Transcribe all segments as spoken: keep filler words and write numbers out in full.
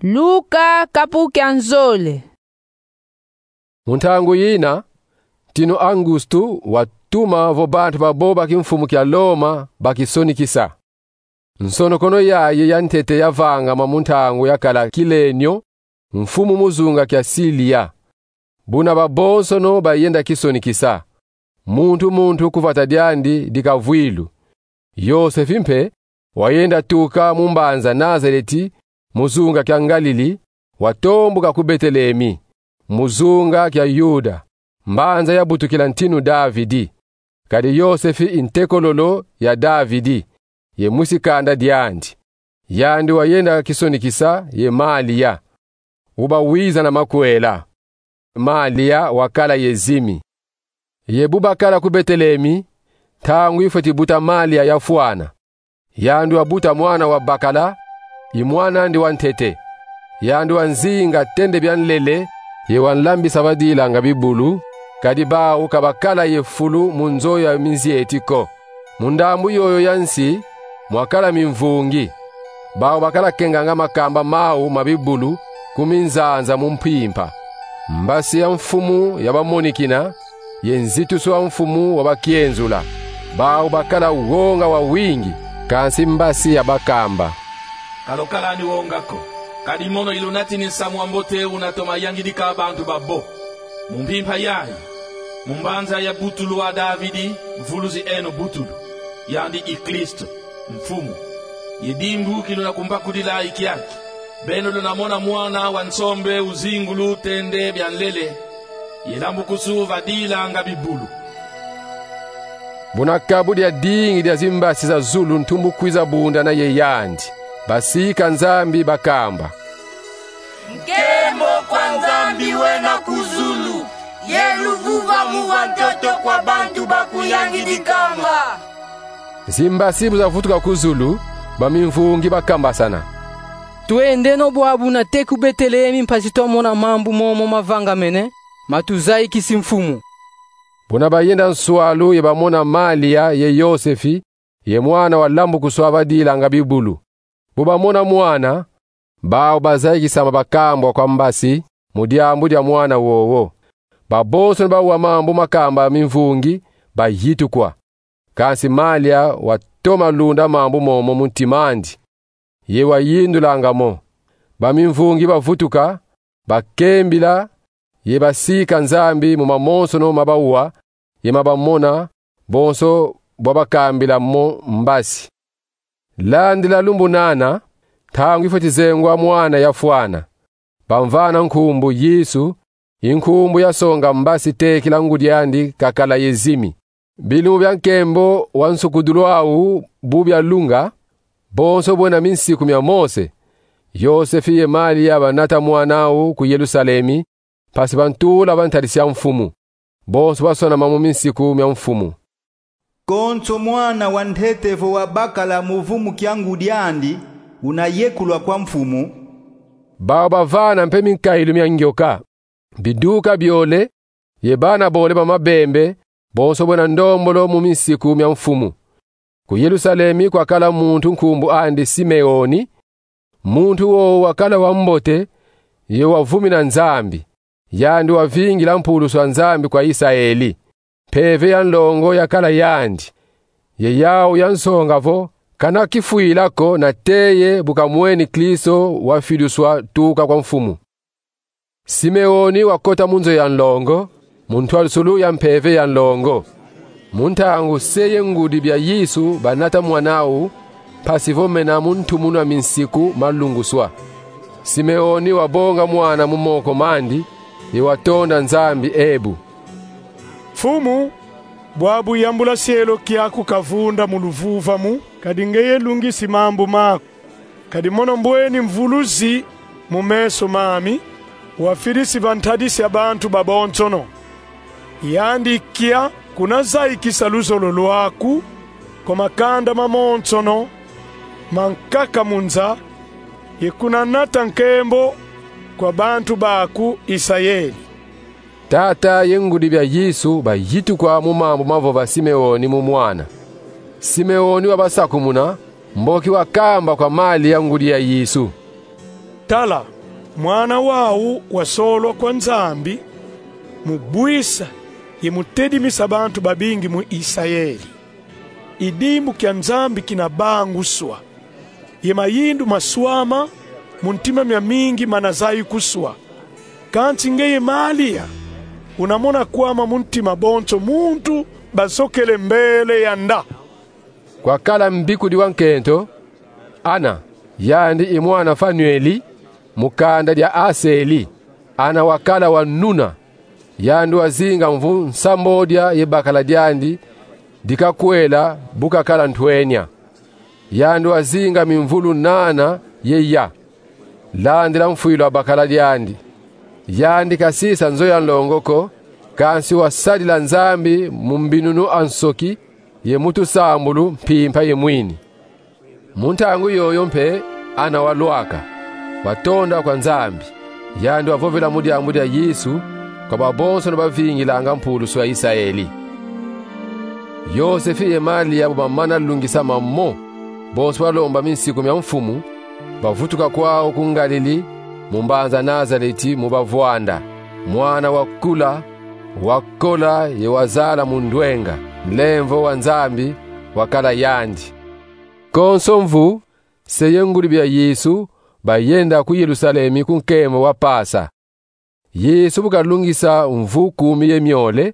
Luka kapu kia nzole. Mu ntangu yina, ntinu Augustu watuma vo bantu babo ba kimfumu kia Loma bakisonikisa. Nsonokono yayi ya ntete yavangama mu ntangu yakala Kilenio mfumu mu zunga kia Silia. Buna babonsono bayenda kisonikisa, muntu muntu ku vata diandi di kavwilu. Yosefi mpe wayenda tuka mu mbanza Nazareti, mu zunga kia Ngalili, watombuka ku Betelemi, mu zunga kia Yuda, mbanza yabutukila ntinu Davidi. Kadi Yosefi i ntekololo ya Davidi, ye mwisi kanda diandi. Yandi wayenda kisonikisa ye Malia, uba wiza na makwela. Malia wakala ye zimi. Ye bu bakala ku Betelemi, ntangu ifweti buta Malia yafwana. Yandi wabuta mwana wa bakala, i mwan'andi wa ntete. Yandi wanzinga tende bia nlele, ye wanlambisa badilanga bibulu, kadi bawu ka bakala ye fulu mu nzo ya minzieti ko. Mu ndambu yoyo ya nsi, mwakala mimvungi. Bawu bakala kenganga makamba mawu ma bibulu ku minzanza mu mpimpa. Mbasi ya mfumu yabamonikina, ye nzitusu wa mfumu wabakienzula. Bawu bakala wonga wawingi, kansi mbasi yabakamba: Ka lwakala ni wonga ko, kadi mono ilunatini nsamu wa mbote una toma yangidika bantu babo. Mu mpimpa yayi, mu mbanza yabutulwa Davidi, mvuluzi eno butulu, yandi i Kristo, Mfumu. Ye dimbu ki luna kumbakudila i kiaki. Beno luna mona mwana wa nsombe uzingulu tende bia nlele, ye lambukusu badilanga bibulu. Buna kabu dia dingi dia zimbasi za zulu ntumbu kwiza bundana ye yandi, basika Nzambi bakamba: Nkembo kwa Nzambi wena ku zulu, ye luvuvamu va ntoto kwa bantu bakuyangidikanga. Zimbasi bu zavutuka ku zulu, bamimvungi bakambasana: Twendeno bwabu nate ku Betelemi, mpasi twamona mambu momo mavangamene, matuzayikisi mfumu. Buna bayenda nswalu ye bamona Malia ye Yosefi, ye mwana walambukuswa badilanga bibulu. Bu bamona mwana, bawu bazayikisama bakambwa kwa mbasi mu diambu dia mwana wowo. Babonsono bawa mambu makamba mimvungi bayitukwa. Kansi Malia watoma lunda mambu momo mu ntim'andi, ye wayindulanga mo. Bamimvungi bavutuka, bakembila, ye basika Nzambi mu mamonsono ma bawa ye ma bamona, bonso bwa bakambila mo mbasi. Landila lumbu nana, ntangu ifweti zengwa mwana yafwana. Bamvana nkumbu Yesu, i nkumbu yasonga mbasi tekila ngudi andi kakala ye zimi. Bilumbu bia nkembo wa nsukudulu awu bu bialunga, bonso bwena minsiku mia Mose, Yosefi ye Malia banata mwana awu ku Yerusalemi, mpasi bantula va ntadisi ya mfumu. Bonso basonama mu minsiku mia mfumu. Konso mwana wa ntete vo wabakala mu vumu kia ngudi andi, una yekulwa kwa mfumu. Bawu bavana mpe minkayilu mia ngioka, biduka biole, ye bana bole ba mabembe, bonso bwena ndombolo mu minsiku mia mfumu. Ku Yerusalemi kwakala muntu nkumbu andi Simeoni. Muntu wowo wakala wa mbote, ye wavumina Nzambi. Yandi wavingila mpulusu a Nzambi kwa Isaeli. Mpeve ya nlongo yakala yandi. Ye yawu yansonga vo kana kifwila ko nate ye bu kamweni Kristo wafiduswa tuka kwa mfumu. Simeoni wakota mu nzo ya nlongo, mu ntwadisulu ya mpeve ya nlongo, mu ntangu se ye ngudi bia Yesu banata mwana awu, mpasi vo mena mu ntumunu a minsiku malunguswa. Simeoni wabonga mwana mu moko mandi, ye watonda Nzambi ebu: Mfumu, bwabu yambula sielo kiaku kavunda mu luvuvamu, kadi ngeye lungisi mambu maku. Kadi mono mbweni mvuluzi mu meso mami, wafidisi va ntadisi ya bantu babonsono. Yandi kia kuna zayikisa luzolo lwaku kwa makanda mamonsono mankaka mu nza, ye kuna nata nkembo kwa bantu baku Isaeli. Tata ye ngudi bia Yesu bayitukwa mu mambu mavova Simeoni mu mwana. Simeoni wabasakumuna, mboki wakamba kwa Malia ngudi ya Yesu. Tala, mwana wau wasolwa kwa Nzambi, mu bwisa ye mu tedimisa bantu babingi mu Isayeli. I dimbu kia Nzambi kina banguswa, ye mayindu maswama mu ntima mia mingi mana zayi kuswa. Kansi ngeye Malia, una mona kwama mu ntima bonso muntu basokele mbele yanda. Kwakala mbikudi wa nkento, Ana, yandi i mwana Fanueli, mu kanda dia Aseli. Ana wakala wa nuna, yandi wazinga mvu nsambodia ye bakala diandi dikakwela bu kakala ntwenia. Yandi wazinga mimvulu nana ye ya, landila mfwilu a bakala diandi. Yandi kasisa nzo ya nlongo ko, kansi wasadila Nzambi mu mbinunu a nsoki ye mu tusambulu mpimpa ye mwini. Mu ntangu yoyo mpe Ana walwaka, watonda kwa Nzambi. Yandi wavovela mu diambu dia Yesu kwa babonsono bavingilanga mpulusu a Isayeli. Yosefe ye Malia bu bamana lungisa mamo bonso balomba minsiku mia Mfumu, bavutuka kwau ku Ngalili, mu mbanza Nazaleti mu bavwanda. Mwana wakula, wakola ye wazala mu ndwenga, nlemvo wa Nzambi wakala yandi. Konso mvu, se ye ngudi bia Yesu bayenda ku Yerusalemi ku nkembo wa Pasa. Yesu bu kalungisa mvu kumi ye miole,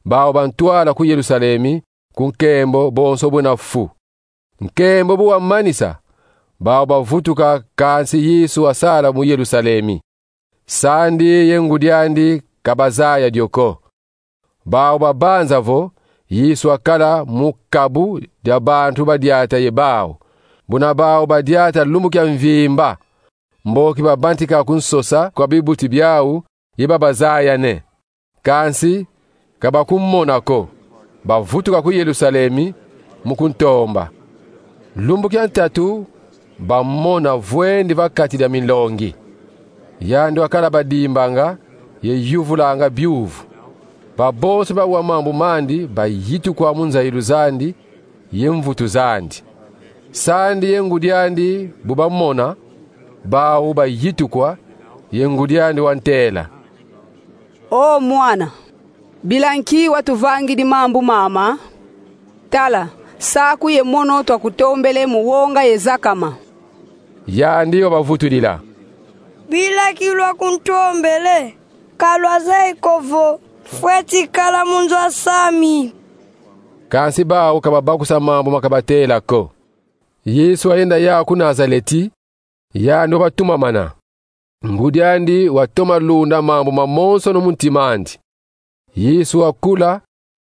bau bantwala ku Yerusalemi ku nkembo bonso buna fu. Nkembo bu wamanisa, bau bavutuka, kansi Yesu wasala mu Yerusalemi. Sandi ye ngudi andi ka bazaya dio ko. Bau babanza vo Yesu wakala mu kabu dia bantu badiata ye bau, buna bau badiata lumbu kia mvimba, mboki babantika ku nsosa kwa bibuti biau ye babazayane. Kansi ka bakumona ko, bavutuka ku Yerusalemi mu kuntomba. Lumbu kia ntatu bamona vwendi va kati dia minlongi. Yandi wakala badimbanga ye yuvulanga biuvu. Babonso bawa mambu mandi bayitukwa mu nzayilu zandi ye mvutu zandi. Sandi ye ngudi andi bu bamona, bau bayitukwa, ye ngudi andi wantela: O mwana, bila nki watuvangidi mambu mama? Tala, saku ye mono twakutombele mu wonga ye zakama. Yandi wabavutudila: Bila ki lwakuntombele, ka lwazeyi ko vo fweti kala mu nzo a sami? Kansi bau ka babakusa mambu makabatela ko. Yesu wayenda yawu ku Nazaleti, yandi wabatumamana. Ngudi andi watoma lunda mambu mamonsono mu ntima andi. Yesu wakula,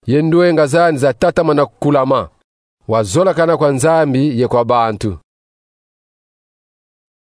ye ndwenga zandi zatatamana kulama. Wazolakana kwa Nzambi ye kwa bantu.